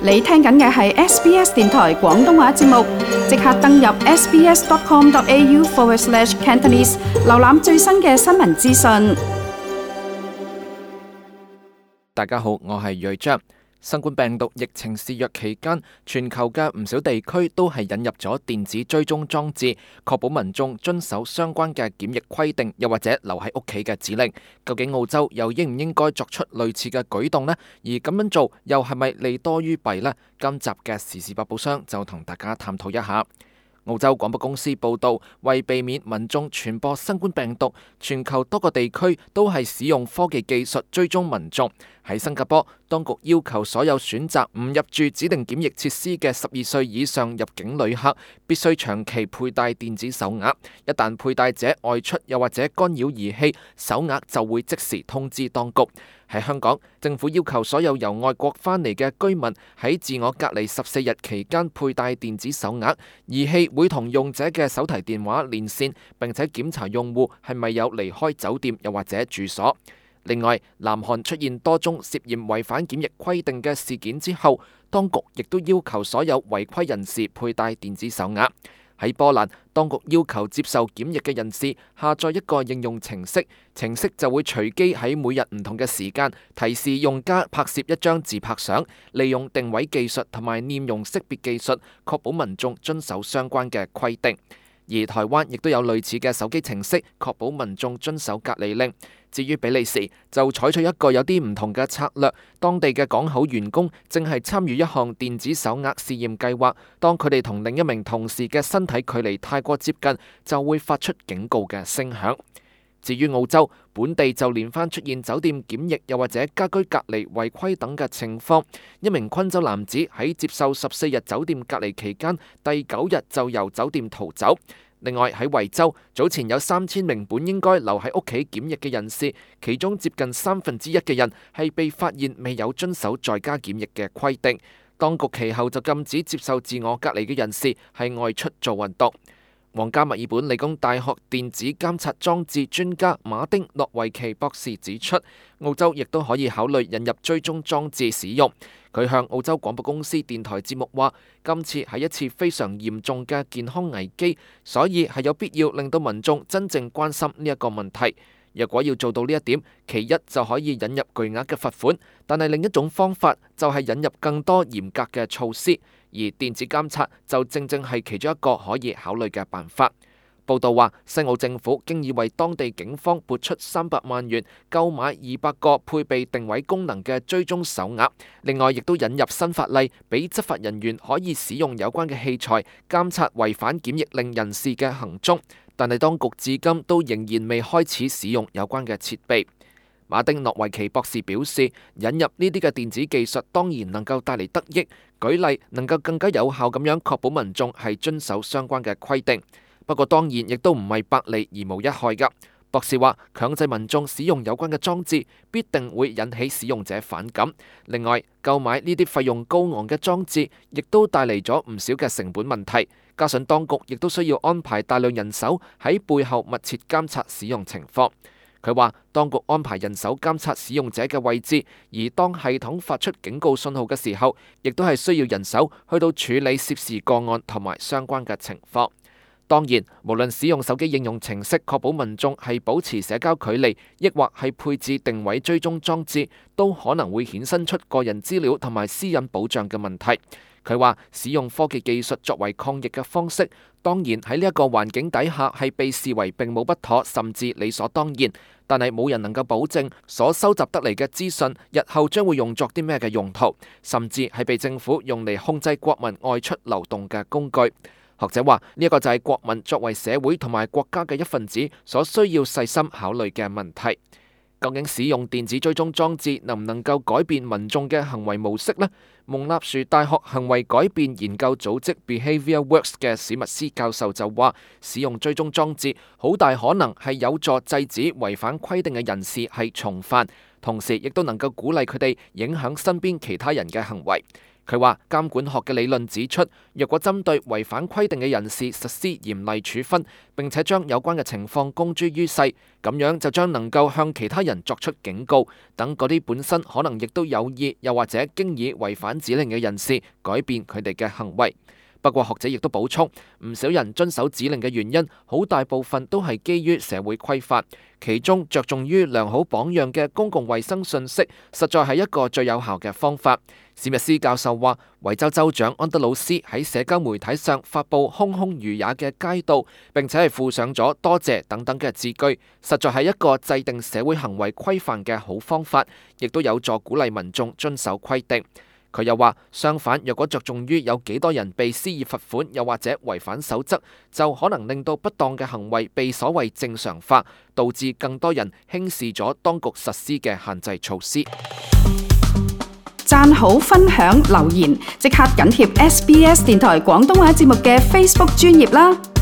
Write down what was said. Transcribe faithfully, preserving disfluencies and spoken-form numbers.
你聽緊嘅係 S B S 電台廣東話節目，即刻登入 sbs.com.au forward slash Cantonese， 瀏覽最新嘅新聞資訊。大家好，我係瑞章。新冠病毒疫情肆虐期間，全球嘅唔少地區都係引入咗電子追蹤裝置，確保民眾遵守相關嘅檢疫規定，又或者留喺屋企嘅指令。究竟澳洲又應唔應該作出類似嘅舉動呢？而咁樣做又係咪利多於弊呢？今集嘅時事百寶箱就同大家探討一下。澳洲廣播公司報道，為避免民眾傳播新冠病毒，全球多個地區都係使用科技技術追蹤民眾。喺新加坡，當局要求所有選擇唔入住指定檢疫設施嘅十二歲以上入境旅客，必須長期佩戴電子手鐲。一旦佩戴者外出又或者干擾儀器，手鐲就會即時通知當局。喺香港，政府要求所有由外國返嚟嘅居民喺自我隔離十四日期間佩戴電子手鐲，儀器會同用者嘅手提電話連線，並且檢查用戶係咪有離開酒店又或者住所。另外，南韓出現多宗涉嫌違反檢疫規定嘅事件之後，當局亦都要求所有違規人士佩戴電子手鐲。喺波蘭，當局要求接受檢疫嘅人士下載一個應用程式，程式就會隨機喺每日唔同嘅時間提示用家拍攝一張自拍相，利用定位技術同埋臉容識別技術，確保民眾遵守相關嘅規定。而台灣亦都有類似嘅手機程式，確保民眾遵守隔離令。至於比利時，就採取一個有啲唔同嘅策略，當地嘅港口員工正係參與一項電子手鐲試驗計劃，當佢哋同另一名同事嘅身體距離太過接近，就會發出警告嘅聲響。至於澳洲，本地就連番出現酒店檢疫又或者家居隔離違規等嘅情況。一名昆州男子喺接受十四日酒店隔離期間，第九日就由酒店逃走。另外喺維州，早前有三千名本應該留喺屋企檢疫嘅人士，其中接近三分之一嘅人係被發現未有遵守在家檢疫嘅規定。當局其後就禁止接受自我隔離嘅人士係外出做運動。皇家墨爾本理工大學電子監察裝置專家馬丁諾維奇博士指出，澳洲亦都可以考慮引入追蹤裝置使用。佢向澳洲廣播公司電台節目話，今次係一次非常嚴重嘅健康危機，所以係有必要令到民眾真正關心呢一個問題。若果要做到呢一點，其一就可以引入巨額嘅罰款，但係另一種方法就係引入更多嚴格嘅措施，而電子監察就正正係其中一個可以考慮嘅辦法。報道話，西澳政府經已為當地警方撥出三百萬元購買二百個配備定位功能嘅追蹤手鐲，另外亦都引入新法例，俾執法人員可以使用有關嘅器材監察違反檢疫令人士嘅行蹤。但係當局至今都仍然未開始使用有關嘅設備。馬丁諾維奇博士表示，引入呢啲嘅電子技術當然能夠帶嚟得益，舉例能夠更加有效咁樣確保民眾係遵守相關嘅規定。不過當然亦都唔係百利而無一害㗎。博士話，強制民眾使用有關嘅裝置，必定會引起使用者反感。另外，購買呢啲費用高昂嘅裝置，亦都帶嚟咗唔少嘅成本問題。加上當局亦都需要安排大量人手喺背後密切監察使用情況。佢話，當局安排人手監察使用者嘅位置，而當系統發出警告信號嘅時候，亦都係需要人手去到處理涉事個案同埋相關嘅情況。當然，無論使用手機應用程式確保民眾係保持社交距離，抑或係配置定位追蹤裝置，都可能會衍生出個人資料同埋私隱保障嘅問題。佢話，使用科技技術作為抗疫嘅方式，當然喺呢一個環境底下係被視為並冇不妥，甚至理所當然。但係冇人能夠保證所收集得嚟嘅資訊日後將會用作啲咩嘅用途，甚至係被政府用嚟控制國民外出流動嘅工具。學者話，呢一個就係國民作為社會同埋國家嘅一份子所需要細心考慮嘅問題。究竟使用電子追蹤裝置能唔能夠改變民眾嘅行為模式呢？蒙納殊大學行為改變研究組織 Behaviour Works 嘅史密斯教授就話，使用追蹤裝置好大可能係有助制止違反規定嘅人士係重犯，同時亦都能夠鼓勵佢哋影響身邊其他人嘅行為。佢話監管學嘅理論指出，若果針對違反規定嘅人士實施嚴厲處分，並且將有關嘅情況公諸於世，咁樣就將能夠向其他人作出警告，等嗰啲本身可能亦都有意又或者經已違反指令嘅人士改變佢哋嘅行為。不過學者亦都補充，唔少人遵守指令嘅原因，好大部分都係基於社會規範，其中着重於良好榜樣嘅公共衛生信息，實在係一個最有效嘅方法。史密斯教授話，維州州長安德魯斯喺社交媒體上發布空空如也嘅街道，並且係附上咗多謝等等嘅字句，實在係一個制定社會行為規範嘅好方法，亦都有助鼓勵民眾遵守規定。佢又話，相反，若果着重於有幾多人被施以罰款，又或者違反守則，就可能令到不當嘅行為被所謂正常化，導致更多人輕視咗當局實施嘅限制措施。讚好、分享、留言，即刻緊貼 S B S 電台廣東話節目嘅 Facebook 專頁啦！